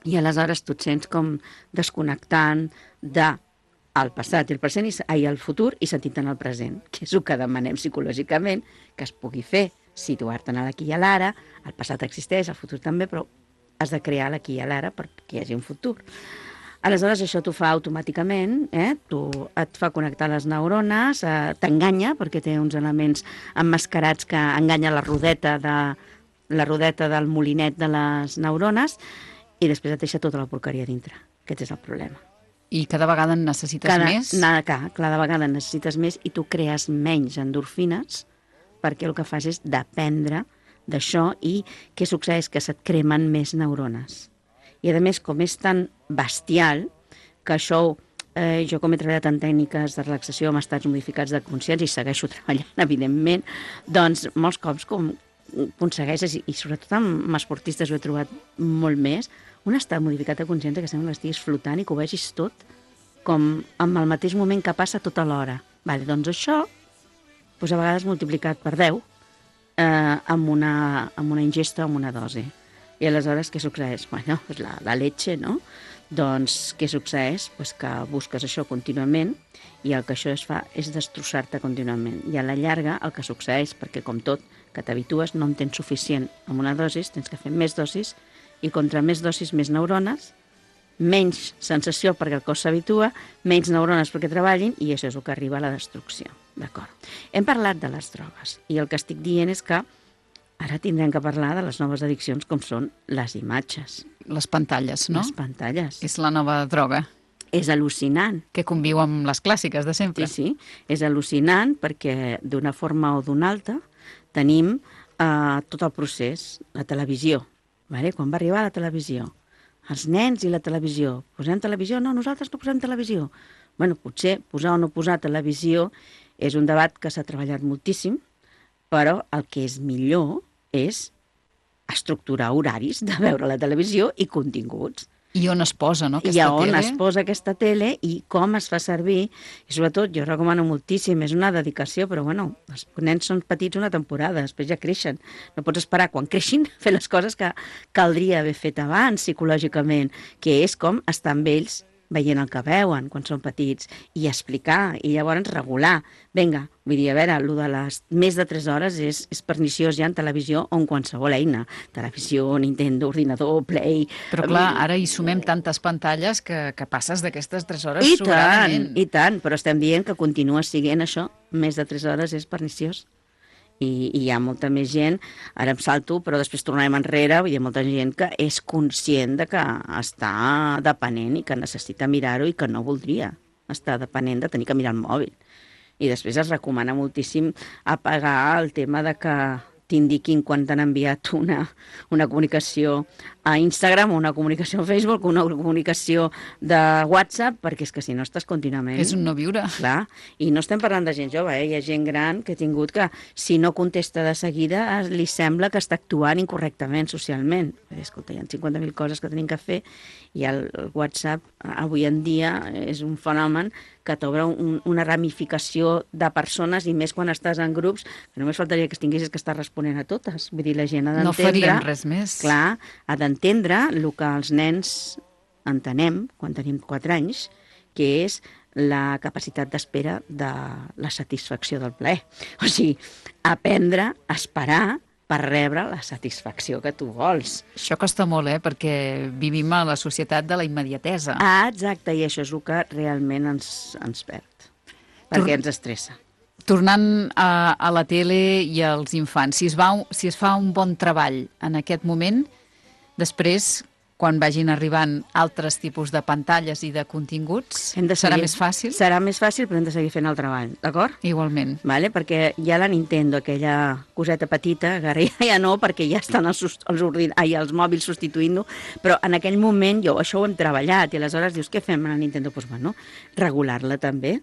H: I aleshores tu et sents com desconnectant del passat i el present i el futur i sentit en el present, que és el que demanem psicològicament que es pugui fer, situar-te en l'aquí i a l'ara. El passat existeix, el futur també, però has de crear l'aquí i a l'ara perquè hi hagi un futur. Aleshores això t'ho fa automàticament, et fa connectar les neurones, t'enganya perquè té uns elements emmascarats que enganya la rodeta del molinet de les neurones i després et deixa tota la porqueria dintre. Aquest és el problema.
B: I cada vegada en necessites més?
H: Cada vegada en necessites més i tu crees menys endorfines perquè el que fas és dependre d'això i què succeeix? Que se't cremen més neurones. I a més, com és tan bestial, que això, jo com he treballat en tècniques de relaxació amb estats modificats de consciència i segueixo treballant, evidentment, doncs molts cops com aconsegueixes, i sobretot amb esportistes ho he trobat molt més, un estat modificat de consciència que sembla que estiguis flotant i que ho vegis tot com en el mateix moment que passa tota l'hora. Vale, doncs això, doncs a vegades multiplicat per 10 amb una ingesta o amb una dosi. I aleshores què succeeix? Bueno, pues la leche, no? Doncs què succeeix? Pues que busques això contínuament i el que això es fa és destrossar-te contínuament. I a la llarga el que succeeix, perquè com tot, que t'habitues, no en tens suficient amb una dosis, tens que fer més dosis, i contra més dosis, més neurones, menys sensació perquè el cos s'habitua, menys neurones perquè treballin, i això és el que arriba a la destrucció. D'acord. Hem parlat de les drogues, i el que estic dient és que ara tindrem que parlar de les noves addiccions com són les imatges.
B: Les pantalles, no?
H: Les pantalles.
B: És la nova droga.
H: És al·lucinant.
B: Que conviu amb les clàssiques de sempre.
H: Sí, és al·lucinant perquè d'una forma o d'una altra tenim tot el procés, la televisió. Vale? Quan va arribar la televisió, els nens i la televisió, posem televisió? No, nosaltres no posem televisió. Bueno, potser posar o no posar televisió és un debat que s'ha treballat moltíssim, però el que és millor és estructurar horaris de veure la televisió i continguts.
B: I on es posa, no, aquesta
H: tele? I on es posa aquesta tele i com es fa servir. I sobretot, jo recomano moltíssim, és una dedicació, però bueno, els nens són petits una temporada, després ja creixen. No pots esperar quan creixin fer les coses que caldria haver fet abans psicològicament, que és com estar amb ells veient el que veuen quan són petits i explicar, i llavors regular. Vinga, vull dir, a veure, el de les més de 3 hores és perniciós ja en televisió o en qualsevol eina. Televisió, Nintendo, ordinador, Play...
B: Però clar, ara hi sumem tantes pantalles que passes d'aquestes 3 hores sobradament.
H: I tant, però estem dient que continua sent això, més de 3 hores és perniciós. I hi ha molta més gent, ara em salto, però després tornarem enrere, hi ha molta gent que és conscient de que està depenent i que necessita mirar-ho i que no voldria estar depenent de tenir que mirar el mòbil. I després es recomana moltíssim apagar el tema de que t'indiquin quan t'han enviat una comunicació a Instagram, una comunicació a Facebook, una comunicació de WhatsApp, perquè és que si no estàs contínuament...
B: És un no viure.
H: Clar, i no estem parlant de gent jove, hi ha gent gran que ha tingut que, si no contesta de seguida, li sembla que està actuant incorrectament socialment. Escolta, hi ha 50.000 coses que tenim que fer i el WhatsApp avui en dia és un fenomen que t'obre una ramificació de persones i més quan estàs en grups, que només faltaria que tinguessis que estar responent a totes. Vull dir, la gent ha d'entendre...
B: No faríem res més.
H: Clar, ha d'entendre el que els nens entenem quan tenim 4 anys, que és la capacitat d'espera de la satisfacció del plaer. O sigui, aprendre a esperar per rebre la satisfacció que tu vols.
B: Això costa molt, perquè vivim a la societat de la immediatesa.
H: Ah, exacte, i això és el que realment ens perd, perquè ens estressa.
B: Tornant a la tele i als infants, si es fa un bon treball en aquest moment, després, quan vagin arribant altres tipus de pantalles i de continguts, serà més fàcil?
H: Serà més fàcil, però hem de seguir fent el treball, d'acord?
B: Igualment.
H: Vale? Perquè ja la Nintendo, aquella coseta petita, que ara ja no, perquè ja estan els mòbils substituint-ho, però en aquell moment això ho hem treballat, i aleshores dius, què fem amb la Nintendo? Doncs bueno, regular-la també.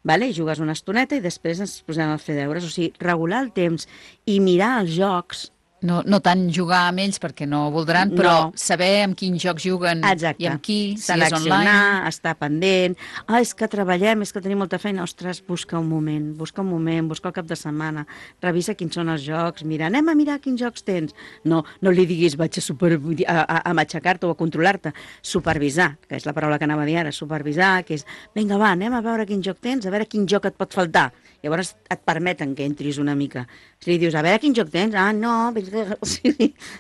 H: Vale? Jugues una estoneta i després ens posem a fer deures. O sigui, regular el temps i mirar els jocs.
B: No tant jugar amb ells perquè no voldran, però saber amb quins jocs juguen.
H: Exacte.
B: I amb qui, si és
H: seleccionar,
B: online.
H: estar pendent. És que treballem, és que tenim molta feina. Ostres, busca un moment, busca el cap de setmana, revisa quins són els jocs, mira, anem a mirar quins jocs tens. No li diguis vaig a matxacar-te o a controlar-te. Supervisar, que és la paraula que anava a dir ara, supervisar, que és, vinga, va, anem a veure quin joc tens, a veure quin joc et pot faltar. Llavors et permeten que entris una mica. Si li dius, a veure quin joc tens, no...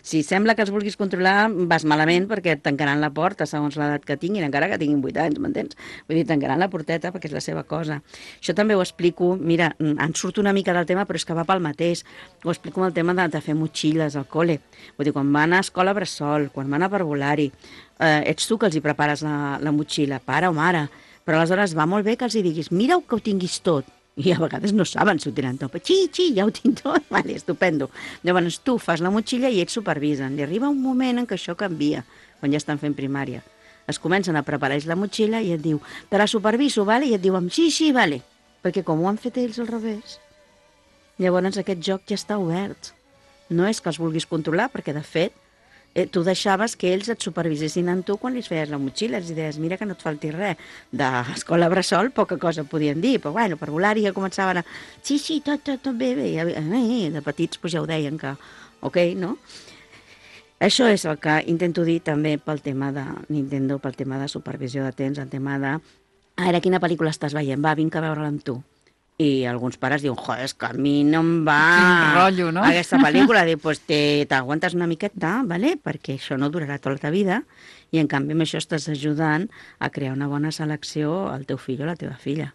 H: Si sembla que els vulguis controlar, vas malament perquè et tancaran la porta segons l'edat que tinguin, encara que tinguin 8 anys, m'entens? Vull dir, tancaran la porteta perquè és la seva cosa. Això també ho explico, mira, en surto una mica del tema, però és que va pel mateix. Ho explico amb el tema de fer motxilles al col·le. Vull dir, quan van a escola bressol, quan van a parvulari, ets tu que els hi prepares la motxilla, pare o mare, però aleshores va molt bé que els hi diguis, mira que ho tinguis tot. I a vegades no saben si ho tenen tot. Ja ho tinc tot. Vale, estupendo. Llavors tu fas la motxilla i ells supervisen. I arriba un moment en què això canvia, quan ja estan fent primària. Es comencen a preparar la motxilla i et diu, te la superviso, vale? I et diuen, sí, vale. Perquè com ho han fet ells al revés, llavors aquest joc ja està obert. No és que els vulguis controlar, perquè de fet tu deixaves que ells et supervisessin en tu quan li feies la motxilla, els deies, mira que no et falti res. D'escola bressol poca cosa podien dir, però bueno, per volar ja començaven a... Sí, tot bé. De petits ja ho deien que, ok, no? Això és el que intento dir també pel tema de Nintendo, pel tema de supervisió de temps, el tema de... A veure, quina pel·lícula estàs veient? Va, vinc a veure-la amb tu. I alguns pares diuen, és que a mi no em va...
B: Quin rotllo, no?
H: Aquesta pel·lícula, diu, pues t'aguantes una miqueta, ¿vale? Perquè això no durarà tota la teva vida, i en canvi amb això estàs ajudant a crear una bona selecció al teu fill o a la teva filla.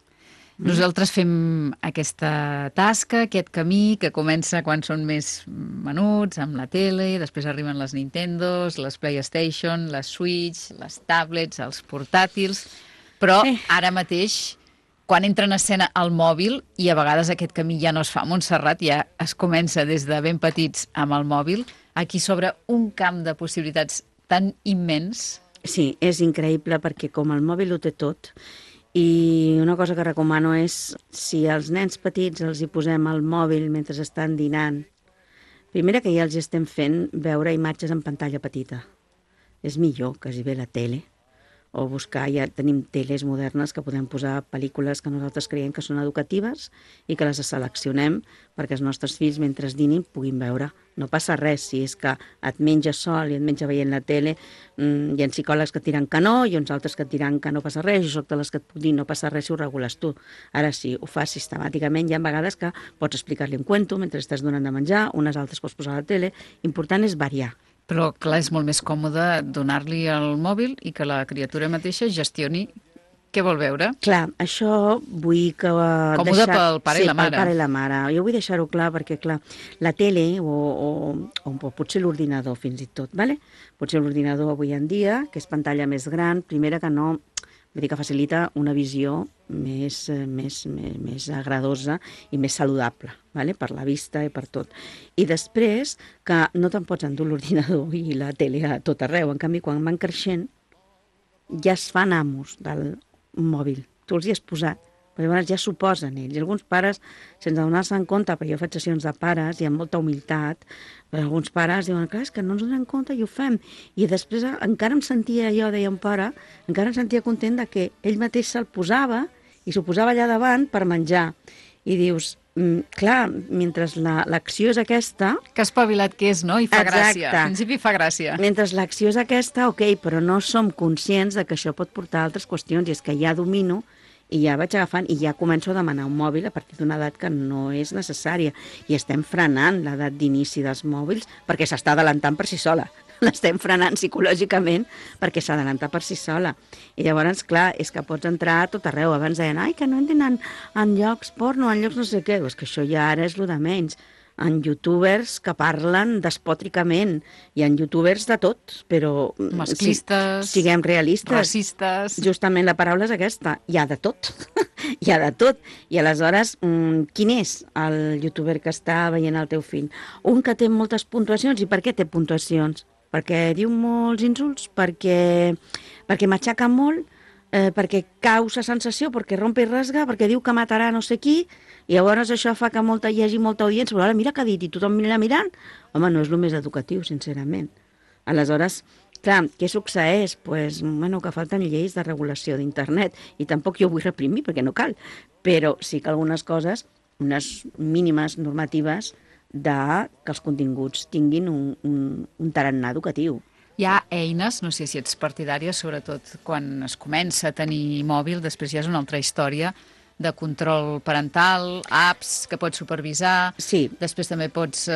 B: Nosaltres fem aquesta tasca, aquest camí, que comença quan són més menuts, amb la tele, després arriben les Nintendos, les PlayStation, les Switch, les tablets, els portàtils, però ara mateix... Quan entra en escena el mòbil, i a vegades aquest camí ja no es fa a Montserrat, ja es comença des de ben petits amb el mòbil, aquí s'obre un camp de possibilitats tan immens.
H: Sí, és increïble perquè com el mòbil ho té tot, i una cosa que recomano és, si als nens petits els hi posem el mòbil mentre estan dinant, primera que ja els estem fent veure imatges en pantalla petita. És millor que hi ve la tele, o buscar, ja tenim teles modernes que podem posar pel·lícules que nosaltres creiem que són educatives i que les seleccionem perquè els nostres fills, mentre dinin, puguin veure. No passa res si és que et menges sol i et menja veient la tele. Hi ha psicòlegs que et diran que no i uns altres que et diran que no passa res. Jo soc de les que et puc dir no passa res si ho regules tu. Ara, si ho fas sistemàticament, hi ha vegades que pots explicar-li un cuento mentre estàs donant de menjar, unes altres pots posar a la tele. Important és variar.
B: Però, clar, és molt més còmode donar-li el mòbil i que la criatura mateixa gestioni Què vol veure?
H: Clar, això vull que...
B: Còmode pel pare i la mare.
H: Sí, pel pare i la mare. Jo vull deixar-ho clar perquè, clar, la tele o potser l'ordinador fins i tot, ¿vale? Potser l'ordinador avui en dia, que és pantalla més gran, primera que no, vull dir que facilita una visió més agradosa i més saludable, ¿vale? Per la vista i per tot. I després, que no te'n pots endur l'ordinador i la tele a tot arreu. En canvi, quan van creixent, ja es fan amos del mòbil. Tu els hi has posat, però llavors ja s'ho posen ells. I alguns pares, sense donar-se en compte, perquè jo faig sessions de pares i amb molta humilitat, però alguns pares diuen, clar, és que no ens donem compte i ho fem. I després encara em sentia, jo deia un pare, encara em sentia content de que ell mateix se'l posava i s'ho posava allà davant per menjar. I dius, clar, mentre l'acció és aquesta...
B: Que espavilat que és, no? I fa gràcia.
H: Exacte.
B: Al principi fa gràcia.
H: Mentre l'acció és aquesta, ok, però no som conscients de que això pot portar a altres qüestions, i és que ja domino i ja vaig agafant i ja començo a demanar un mòbil a partir d'una edat que no és necessària. I estem frenant l'edat d'inici dels mòbils perquè s'està adelantant per si sola. L'estem frenant psicològicament perquè s'adalanta per si sola. I llavors, clar, és que pots entrar a tot arreu. Abans deien, ai, que no entren en llocs porno, en llocs no sé què. És que això ja ara és lo de menys. En youtubers que parlen despòtricament, i en youtubers de tot, però...
B: Masclistes,
H: siguem realistes.
B: racistes...
H: Justament la paraula és aquesta, hi ha de tot. Hi ha de tot. I aleshores, quin és el youtuber que està veient el teu fill? Un que té moltes puntuacions. I per què té puntuacions? Perquè diu molts insults, perquè m'aixaca molt, perquè causa sensació, perquè rompe i rasga, perquè diu que matarà no sé qui, i llavors això fa que hi hagi molta audiència, però ara mira què ha dit i tothom mira mirant. Home, no és el més educatiu, sincerament. Aleshores, clar, què succeeix? Pues, bueno, que falten lleis de regulació d'internet, i tampoc jo vull reprimir, perquè no cal, però sí que algunes coses, unes mínimes normatives, que els continguts tinguin un tarannà educatiu.
B: Hi ha eines, no sé si ets partidària, sobretot quan es comença a tenir mòbil, després ja és una altra història, de control parental, apps que pots supervisar,
H: sí.
B: Després també pots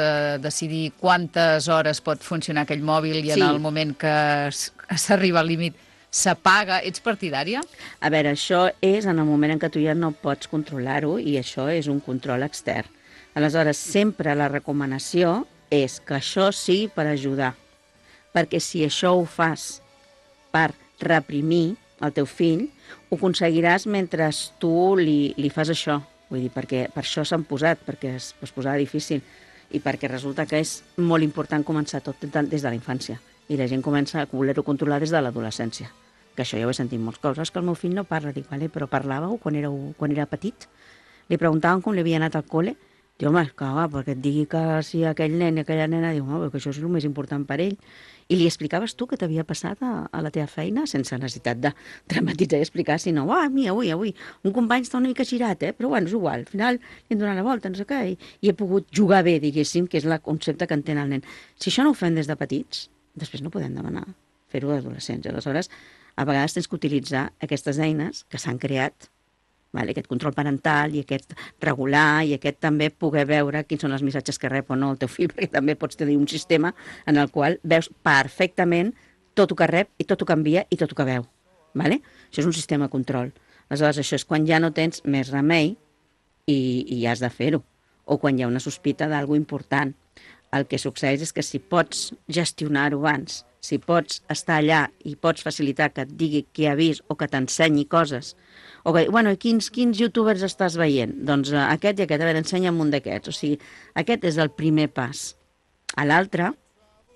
B: decidir quantes hores pot funcionar aquell mòbil i en el moment que s'arriba al límit s'apaga. Ets partidària?
H: A veure, això és en el moment en què tu ja no pots controlar-ho, i això és un control extern. Aleshores, sempre la recomanació és que això sigui per ajudar, perquè si això ho fas per reprimir el teu fill, ho aconseguiràs mentre tu li fas això. Vull dir, perquè per això s'han posat, perquè es posava difícil, i perquè resulta que és molt important començar tot des de la infància, i la gent comença a voler-ho controlar des de l'adolescència. Que això ja ho he sentit molts cops. És que el meu fill no parla. Dic, vale, però parlàveu quan era petit? Li preguntaven com li havia anat al col·le. Diu, home, que va, perquè et digui que si aquell nen i aquella nena, diu, home, que això és el més important per ell. I li explicaves tu què t'havia passat a la teva feina, sense necessitat de dramatitzar i explicar, sinó, mira, avui, un company està una mica girat, però bueno, és igual, al final li hem donat la volta, no sé què, i he pogut jugar bé, diguéssim, que és el concepte que entén el nen. Si això no ho fem des de petits, després no podem demanar fer-ho d'adolescents. Aleshores, a vegades tens que utilitzar aquestes eines que s'han creat, aquest control parental i aquest regular, i aquest també poder veure quins són els missatges que rep o no el teu fill, perquè també pots tenir un sistema en el qual veus perfectament tot el que rep i tot el que envia i tot el que veu. Això és un sistema de control. Aleshores, això és quan ja no tens més remei i has de fer-ho, o quan hi ha una sospita d'alguna important. El que succeeix és que si pots gestionar-ho abans, si pots estar allà i pots facilitar que et digui què ha vist o que t'ensenyi coses, o que, bueno, quins youtubers estàs veient? Doncs aquest i aquest, a veure, ensenya'm un d'aquests. O sigui, aquest és el primer pas. A l'altre,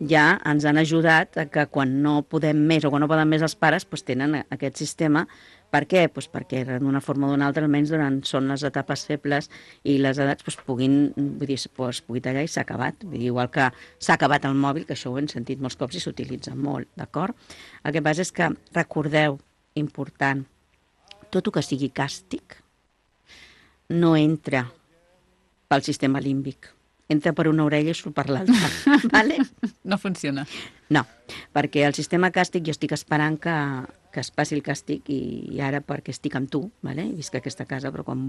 H: ja ens han ajudat a que quan no podem més o quan no poden més els pares, doncs tenen aquest sistema. Per què? Doncs perquè d'una forma o d'una altra, almenys són les etapes febles i les edats puguin tallar i s'ha acabat. Vull dir, igual que s'ha acabat el mòbil, que això ho hem sentit molts cops i s'utilitza molt, d'acord? El que passa és que recordeu, important, tot el que sigui càstig no entra pel sistema límbic. Entra per una orella i surt per l'altra. Vale?
B: No funciona.
H: No, perquè el sistema càstig jo estic esperant que es passi el càstig i ara perquè estic amb tu, vale? Visc a aquesta casa, però quan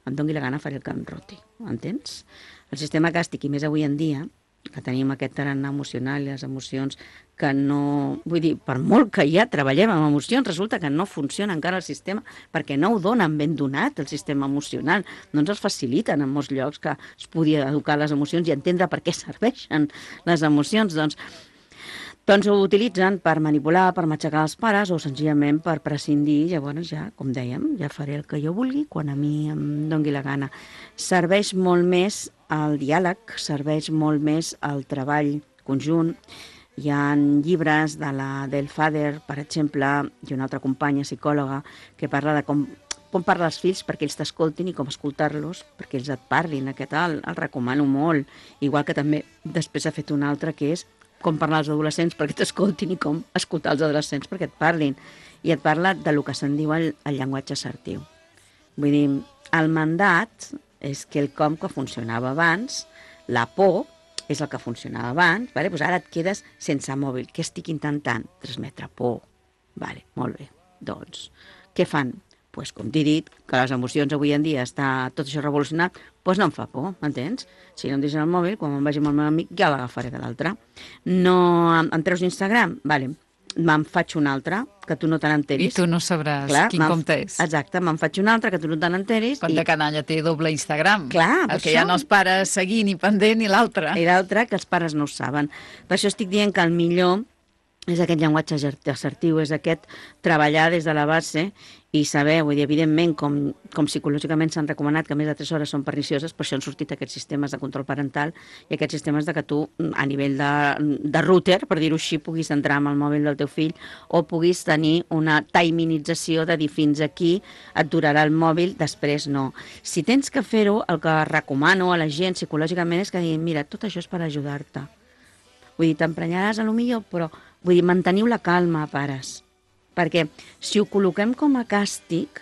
H: em doni la gana faré el que em roti. Entens? El sistema càstig, i més avui en dia, que tenim aquest tarannà emocional i les emocions que no... Vull dir, per molt que ja treballem amb emocions, resulta que no funciona encara el sistema perquè no ho donen ben donat, el sistema emocional. No ens els faciliten en molts llocs que es podia educar les emocions i entendre per què serveixen les emocions. Doncs ho utilitzen per manipular, per matxacar els pares o senzillament per prescindir. Llavors ja, com dèiem, ja faré el que jo vulgui quan a mi em dongui la gana. Serveix molt més el diàleg, serveix molt més el treball conjunt. Hi ha llibres de la Del Fader, per exemple, i una altra companya psicòloga que parla de com parlar als fills perquè ells t'escoltin i com escoltar-los perquè ells et parlin. Aquest el recomano molt. Igual que també després ha fet un altre que és com parlar als adolescents perquè t'escoltin i com escoltar els adolescents perquè et parlin. I et parla del que se'n diu el llenguatge assertiu. Vull dir, el mandat és quelcom que funcionava abans, la por és el que funcionava abans, vale? Pues ara et quedes sense mòbil. Què estic intentant? Transmetre por. Vale, molt bé. Doncs, què fan? Pues, com t'he dit, que les emocions avui en dia està tot això revolucionat, doncs no em fa por, m'entens? Si no em deixen el mòbil, quan me'n vagi amb el meu amic ja l'agafaré de l'altre. No em treus Instagram? Vale, me'n faig un altre, que tu no te n'enteris.
B: I tu no sabràs quin compte és.
H: Exacte, me'n faig un altre, que tu no te n'enteris.
B: Quan de canalla té doble Instagram.
H: Clar,
B: el que hi ha els pares seguint i pendent i l'altre.
H: I l'altre, que els pares no ho saben. Per això estic dient que el millor és aquest llenguatge assertiu, és aquest treballar des de la base i saber, vull dir, evidentment, com psicològicament s'han recomanat que més de 3 hores són pernicioses, per això han sortit aquests sistemes de control parental i aquests sistemes de que tu, a nivell de router, per dir-ho així, puguis entrar amb el mòbil del teu fill o puguis tenir una timinització de dir fins aquí et durarà el mòbil, després no. Si tens que fer-ho, el que recomano a la gent psicològicament és que diguin, mira, tot això és per ajudar-te. Vull dir, t'emprenyaràs a lo millor, però vull dir, manteniu la calma, pares. Perquè si ho col·loquem com a càstig,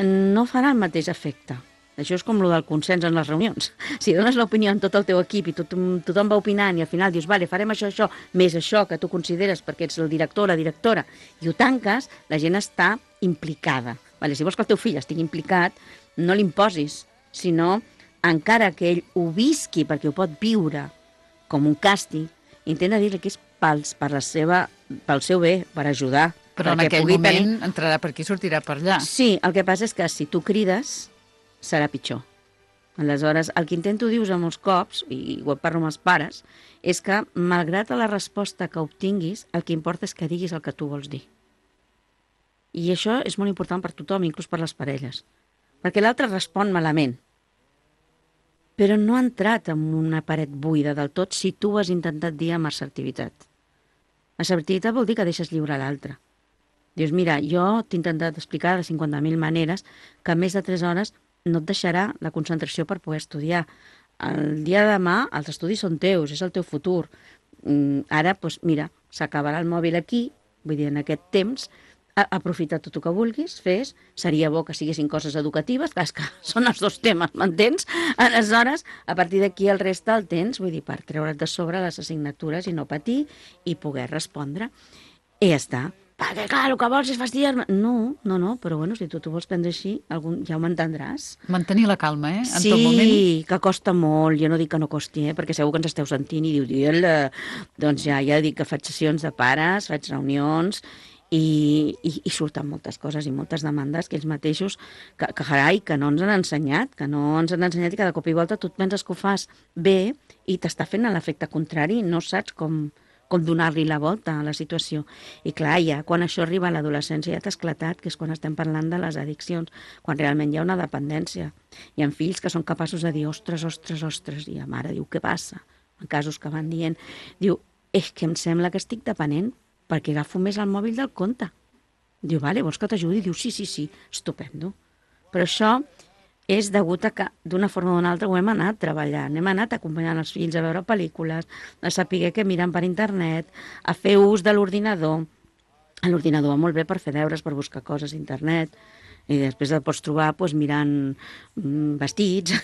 H: no farà el mateix efecte. Això és com el del consens en les reunions. Si dones l'opinió en tot el teu equip i tothom va opinant i al final dius, vale, farem això, més això que tu consideres perquè ets el director o la directora, i ho tanques, la gent està implicada. Vale, si vols que el teu fill estigui implicat, no l'imposis, sinó encara que ell ho visqui perquè ho pot viure com un càstig, intenta dir-li que és pel seu bé, per ajudar.
B: Però en aquell moment entrarà per aquí i sortirà per allà.
H: Sí, el que passa és que si tu crides, serà pitjor. Aleshores, el que intento dir-vos a molts cops, i ho parlo amb els pares, és que, malgrat la resposta que obtinguis, el que importa és que diguis el que tu vols dir. I això és molt important per tothom, inclús per les parelles. Perquè l'altre respon malament. Però no ha entrat en una paret buida del tot si tu ho has intentat dir amb assertivitat. Assertivitat vol dir que deixes lliure l'altre. Dius, mira, jo t'he intentat explicar de 50.000 maneres que més de 3 hores no et deixarà la concentració per poder estudiar. El dia de demà els estudis són teus, és el teu futur. Ara, doncs, mira, s'acabarà el mòbil aquí, vull dir, en aquest temps, aprofita tot el que vulguis, fes, seria bo que siguessin coses educatives, clar, que són els dos temes, m'entens? Aleshores, a partir d'aquí el reste el tens, vull dir, per treure't de sobre les assignatures i no patir i poder respondre. I ja està. Perquè, clar, el que vols és fastidiar-me. No, però bueno, si tu t'ho vols prendre així, ja ho m'entendràs.
B: Mantenir la calma, en
H: sí,
B: tot moment.
H: Sí, que costa molt, jo no dic que no costi, perquè segur que ens esteu sentint i diu, doncs ja dic que faig sessions de pares, faig reunions, i surten moltes coses i moltes demandes que ells mateixos, que no ens han ensenyat, i que de cop i volta tu et penses que ho fas bé i t'està fent l'efecte contrari, no saps com donar-li la volta a la situació. I clar, ja quan això arriba a l'adolescència ja t'ha esclatat, que és quan estem parlant de les addiccions, quan realment hi ha una dependència. Hi ha fills que són capaços de dir ostres, i la mare diu, què passa? En casos que van dient, diu, és que em sembla que estic depenent perquè agafo més el mòbil del compte. Diu, vale, vols que t'ajudi? Diu, sí, estupendo. Però això és degut a que d'una forma o d'una altra ho hem anat treballant, hem anat acompanyant els fills a veure pel·lícules, a saber què miren per internet, a fer ús de l'ordinador. L'ordinador va molt bé per fer deures, per buscar coses a internet, i després et pots trobar mirant vestits,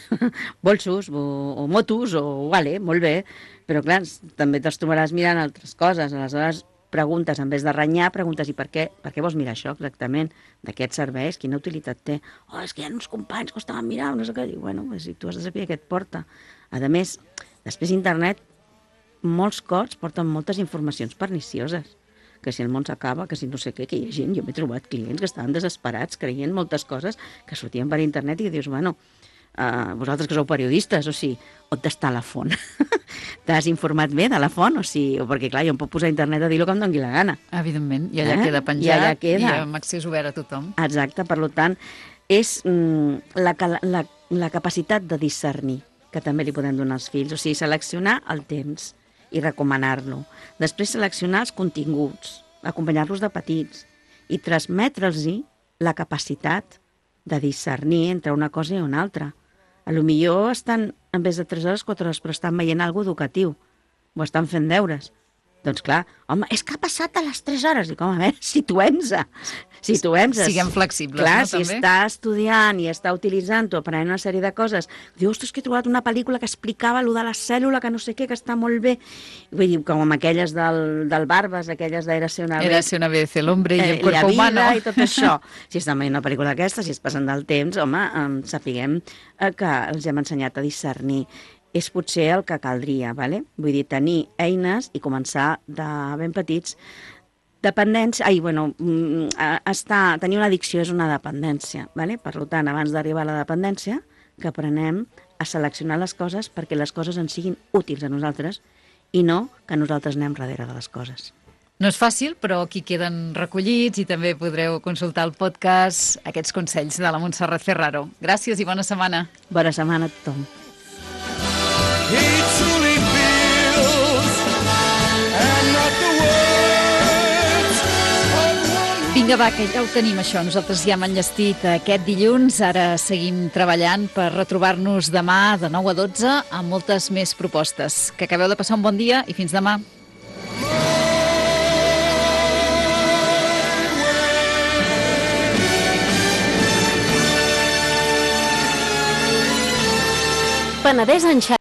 H: bolsos o motos, vale, molt bé, però clar, també te'ls trobaràs mirant altres coses, aleshores preguntes, en vez de renyar, preguntes i per què vols mirar això exactament? De què et serveix? Quina utilitat té? És que hi ha uns companys que ho estaven mirant, no sé què. Diu, bueno, si tu has de saber què et porta. A més, després internet molts cops porten moltes informacions pernicioses, que si el món s'acaba, que si no sé què, que hi ha gent, jo m'he trobat clients que estaven desesperats, creient moltes coses que sortien per internet i que dius, bueno, vosaltres que sou periodistes, o sigui, on està la font? T'has informat bé de la font? O sigui, perquè clar, jo em puc posar a internet a dir el que em doni la gana.
B: Evidentment, i allà queda penjat,
H: i allà queda.
B: I amb accés obert a tothom.
H: Exacte, per tant, és la capacitat de discernir, que també li podem donar als fills, o sigui, seleccionar el temps i recomanar-lo. Després seleccionar els continguts, acompanyar-los de petits i transmetre'ls la capacitat de discernir entre una cosa i una altra. A lo millor estan, en vez de 3 hores, 4 hores, però estan veient alguna cosa educatiu, o estan fent deures. Doncs clar, home, és que ha passat a les 3 hores. I com, a veure, situem-se.
B: Siguem flexibles,
H: clar,
B: no, també?
H: si està estudiant i està utilitzant-ho, aprenent una sèrie de coses, diu, ostres, que he trobat una pel·lícula que explicava allò de la cèl·lula, que no sé què, que està molt bé. Vull dir, com amb aquelles del Barbas, aquelles d'Érase una
B: vez el hombre y el cuerpo humano.
H: I tot això. Si estan veient una pel·lícula d'aquesta, si es passen del temps, home, sapiguem que els hem ensenyat a discernir. És potser el que caldria, ¿vale? Vull dir, tenir eines i començar de ben petits. Dependència, tenir una addicció és una dependència, ¿vale? Per tant, abans d'arribar a la dependència, que aprenem a seleccionar les coses perquè les coses ens siguin útils a nosaltres i no que nosaltres anem darrere de les coses.
B: No és fàcil, però aquí queden recollits i també podreu consultar el podcast, aquests consells de la Montserrat Ferraro. Gràcies i bona setmana.
H: Bona setmana a tothom.
F: He truly feels, and not the words of one.
B: Vinga, va, que ja ho tenim, això. Nosaltres ja hem enllestit aquest dilluns. Ara seguim treballant per retrobar-nos demà de 9 a 12 amb moltes més propostes. Que acabeu de passar un bon dia i fins demà.
A: Penedès en xarxa.